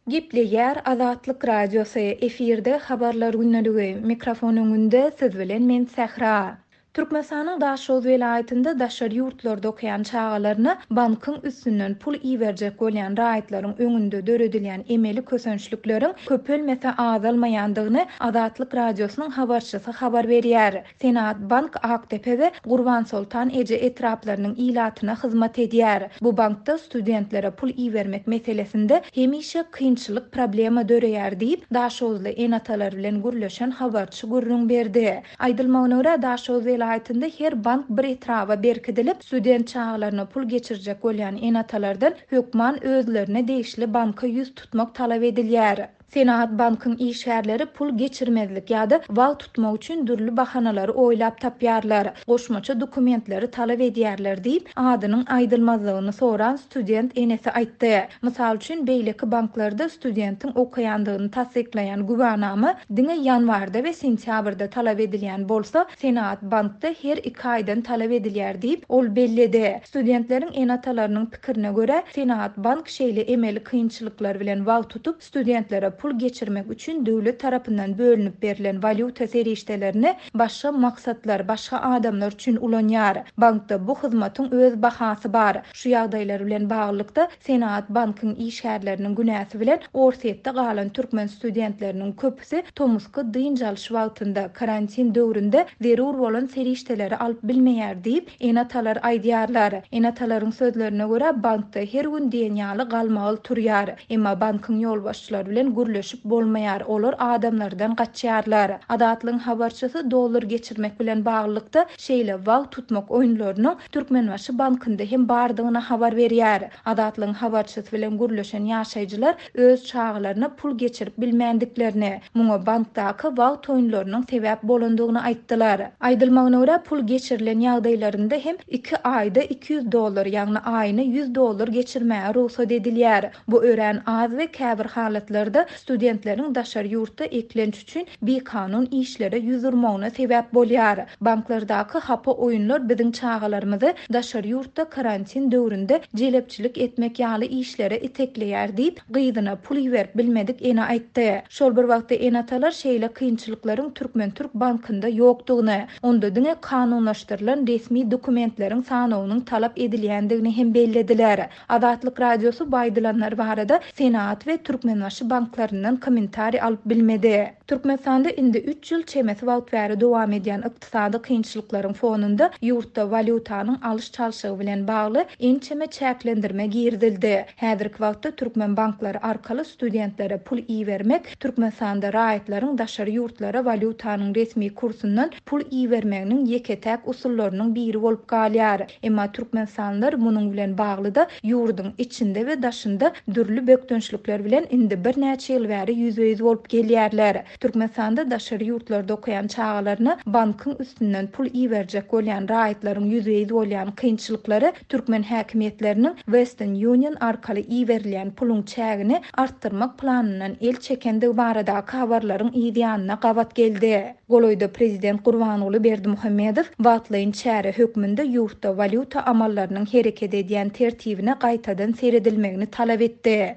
Gepleýär Azatlyk Radiosy, efirde Habarlar gündeligi, mikrofon öňünde siz bilen men Sähra. Türkmenistanyň Daşoguz welaýatynda daşary ýurtlarda okaýan çagalaryna bankyň üstünden pul iberjek bolýan raýatlaryň öňünde döredilýän emeli kösençlikleriň köpelmese azalmaýandygyny Azatlyk Radiosynyň habarçysy habar berýär. Senagat bank Akdepe we Gurbansoltan eje etraplarynyň ilatyna hyzmat edýär. Bu bankda studentlere pul ibermek meselesinde hemişe kynçylyk, problema döreýär diýip, daşoguzly ene-atalar bilen gürleşen habarçy gürrüň berdi. Aýdylmagyna görä, Daşoguz welaýatynda her bank bir etraba berkidilip, student çagalaryna pul geçirjek bolýan ene-atalardan hökman özlerine degişli banka ýüz tutmak talap edilýär. Senagat bankyň işgärleri pul geçirmezlik ýa-da wagt tutmak üçin dürli bahanalary oýlap tapýarlar, goşmaça dokumentleri talap edýärler diýip, adynyň aýdylmazlygyny soran student enesi aýtdy. Mysal üçin, beýleki banklarda studentiň okaýandygyny tassyklaýan güwänama diňe ýanwarda we sentýabrda talap edilýän bolsa, Senagat bankda her iki aýdan talap edilýär diýip, ol belledi. Studentleriň ene-atalarynyň pikirine görä, Senagat bank şeýle emeli kynçylyklar bilen wagt tutup, studentlere pul geçirmek üçin döwlet tarapyndan bölünip berlen walýuta serişdelerini başga maksatlar, başga adamlar üçin ulanýar. Bankda bu hyzmatyň öz bahasy bar. Şu ýagdaýlar bilen baglylykda, Senagat bankyň işgärleriniň günäsi bilen Orsýetde galan türkmen studentleriniň köpüsi tomusky dynç alyş wagtynda, karantin döwründe zerur bolan serişdeleri alyp bilmeýär diýip, ene-atalar aýdýarlar. Ene-atalaryň sözlerine görä, bankda her gün diýen ýaly galmagal turýar. Emma bankyň ýolbaşçylary bilen gürleşip bolmaýar, olar adamlardan gaçýarlar. Azatlygyň habarçysy dollar geçirmek bilen baglylykda, şeýle wagt tutmak oýunlarynyň Türkmenbaşy bankynda hem bardygyny habar berýär. Azatlygyň habarçysy bilen gürleşen ýaşaýjylar öz çagalaryna pul geçirip bilmändiklerini, muňa bankdaky wagt oýunlarynyň sebäp bolandygyny aýtdylar. Aýdylmagyna görä, pul geçirilen ýagdaýlarynda hem iki aýda 200 dollar, ýagny aýyna 100 dollar geçirmäge rugsat edilýär. Bu örän az we käbir halatlarda studentleriň daşary ýurtda eklenç üçin bikanun işlere ýüz urmagyna sebäp bolýar. Banklardaky hapa oýunlar biziň çagalarymyzy daşary ýurtda karantin döwründe jelepçilik etmek ýaly işlere itekleýär diýip, gyzyna pul iberip bilmedik ene aýtdy. Şol bir wagtda ene-atalar şeýle kynçylyklaryň Türkmen-türk bankynda ýokdugyny, onda diňe kanunlaşdyrylan resmi dokumentleriň sanawynyň talap edilýändigini hem bellediler. Azatlyk Radiosy bu aýdylanlar barada Senagat we Türkmenbaşy banklaryndan kommentariý alyp bilmedi. Türkmenistanda indi üç ýyl çemesi wagt bäri dowam edýän ykdysady kynçylyklaryň fonunda ýurtda walýutanyň alyş-çalşygy bilen bagly ençeme çäklendirme girizildi. Häzirki wagtda türkmen banklary arkaly studentlere pul ibermek Türkmenistanda raýatlaryň daşary ýurtlara walýutanyň resmi kursundan pul ibermeginiň ýeke-täk usullarynyň biri bolup galýar. Emma türkmenistanlylar munuň bilen bagly-da ýurduň içinde we daşynda dürli bökdençlikler bilen indi birnäçe ýyl bäri ýüzbe-ýüz bolup gelýärler. Türkmenistanda daşary ýurtlarda okaýan çagalaryna bankyň üstünden pul iberjek bolýan raýatlaryň ýüzbe-ýüz bolýan kynçylyklary türkmen häkimiýetleriniň Western Union arkaly iberilýän puluň çägini artdyrmak planyndan el çekendigi baradaky habarlaryň yz ýanyna gabat geldi. Golaýda prezident Gurbanguly Berdimuhamedow wagtlaýyn çäre hökmünde ýurtda walýuta amallarynyň hereket edýän tertibine gaýtadan seredilmegini talap etdi.